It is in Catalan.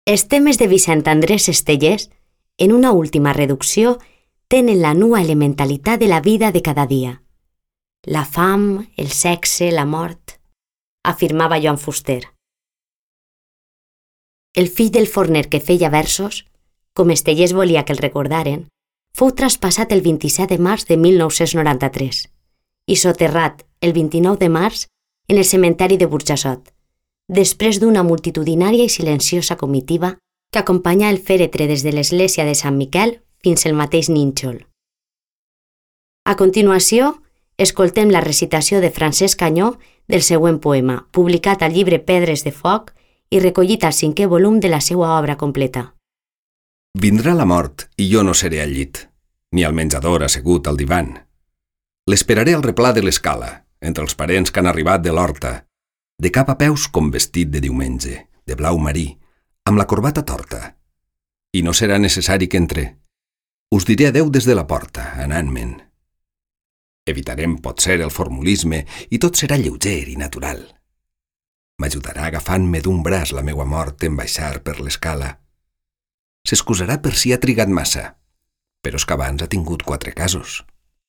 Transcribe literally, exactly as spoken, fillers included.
Els temes de Vicent Andrés Estellés, en una última reducció, tenen la nua elementalitat de la vida de cada dia. La fam, el sexe, la mort, afirmava Joan Fuster. El fill del forner que feia versos, com Estellés volia que el recordaren, fou traspassat el vint-i-set de març de mil nou-cents noranta-tres i soterrat el vint-i-nou de març en el cementeri de Burjassot, després d'una multitudinària i silenciosa comitiva que acompanyà el fèretre des de l'església de Sant Miquel fins al mateix nínxol. A continuació, escoltem la recitació de Francesc Canyó del següent poema, publicat al llibre Pedres de Foc i recollit al cinquè volum de la seva obra completa. Vindrà la mort i jo no seré al llit, ni al menjador assegut al divan. L'esperaré al replà de l'escala, entre els parents que han arribat de l'horta, de cap a peus com vestit de diumenge, de blau marí, amb la corbata torta. I no serà necessari que entre. Us diré adeu des de la porta, anant-me'n. Evitarem, potser, el formulisme i tot serà lleuger i natural. M'ajudarà agafant-me d'un braç la meua mort en baixar per l'escala. S'excusarà per si ha trigat massa, però és que abans ha tingut quatre casos.